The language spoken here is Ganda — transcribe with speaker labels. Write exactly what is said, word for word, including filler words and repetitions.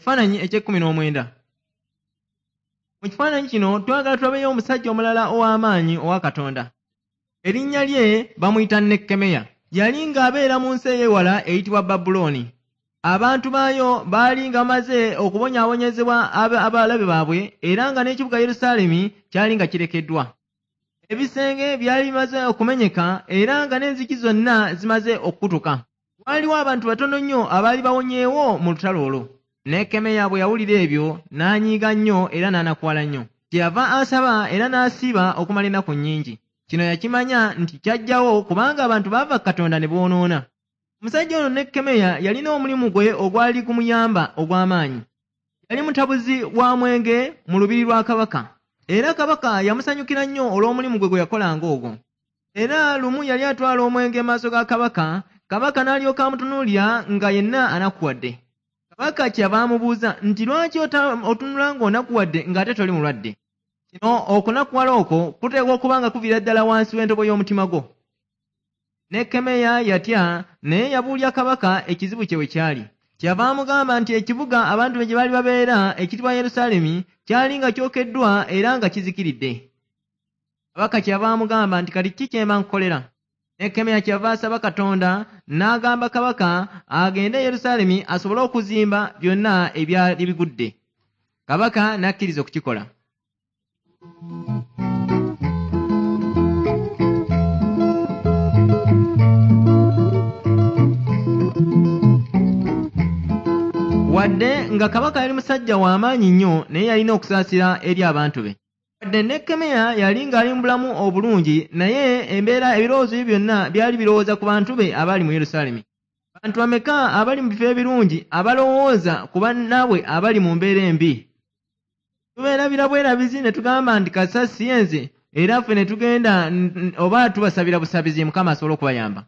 Speaker 1: Ekifaananyi eky'ekkumi n'omwenda. Mu kifaananyi kino twagala tulabeyo omusajja omulala ow'amaanyi owa Katonda. Erinnya lye bamuyita Nekkemeya. Yali ng'abeera mu nsi ey'ewala eyitibwa Babulooni. Abantu baayo baali nga bamaze okubonyaabonyezebwa abalabe baabwe era nga n'ekibuga Yerusaalemi kyali nga kirekeddwa. Ebisenge byali bimaze okumenyeka era nga n'enzigi zonna zimaze okukutuka. Waaliwo abantu batono nnyo abaali bawonyeewo mu lutalo olwo. Nekkemeya bwe yawulira ebyo n'anyiiga nnyo era n'anakuwala nnyo. Kyeyava asaba era n'asiiba okumala ennaku nnyingi. Kino yakimanya nti kyajjawo kubanga abantu baava ku Katonda ne boonoona. Omusajja ono Nekkemeya yalina omulimu gwe ogwali gumuyamba ogw'amaanyi. Yali mutabuzi wa mwenge mu lubiri lwa kabaka. Era kabaka yamusanyukira nnyo olw'omulimu gwe gwe yakolanga ogwo. Era lumu yali atwala omwenge mu maaso ga kabaka, kabaka n'alyoka amutunuulira nga yenna anakuwadde. Kabaka kyeyava amubuuza nti lwaki otunula ng'onakuwadde ng'ate toli mulwadde? Kino okunakuwala okwo kuteekwa okuba nga kuviira ddala wansi w'entobo y'omutima gwo. Nekkemeya yatya naye yabuulya kabaka ekizibu kye we kyali. Kyeyava amugamba nti ekibuga abantu be gye baali babeera ekiyitibwa Yerusaalemi kyali nga kyokeddwa era nga kizikiridde. Kabaka kyeyava amugamba nti kati ki kye mba nkukolera? Nekkemeya kyeyava asaba Katonda n'agamba kabaka agende e Yerusaalemi asobole okuzimba byonna ebyali bigudde. Kabaka n'akkiriza okukikola. Wadde nga kabaka yali musajja w'amaanyi nnyo naye yalina okusaasira eri abantu be. Wadde Nekkemeya yali ng'ali mu bulamu obulungi naye embeera ebirowoozo bye byonna byali birowooza ku bantu be abaali mu Yerusaalemi. Bantu bameka abali mu bifo ebirungi abalowooza ku bannaabwe abali mu mbeera embi? Tubeerabira bwerabizi ne tugamba nti kasita si nze era ffe ne tugenda oba tubasabira busabizi Mukama asobole okubayamba.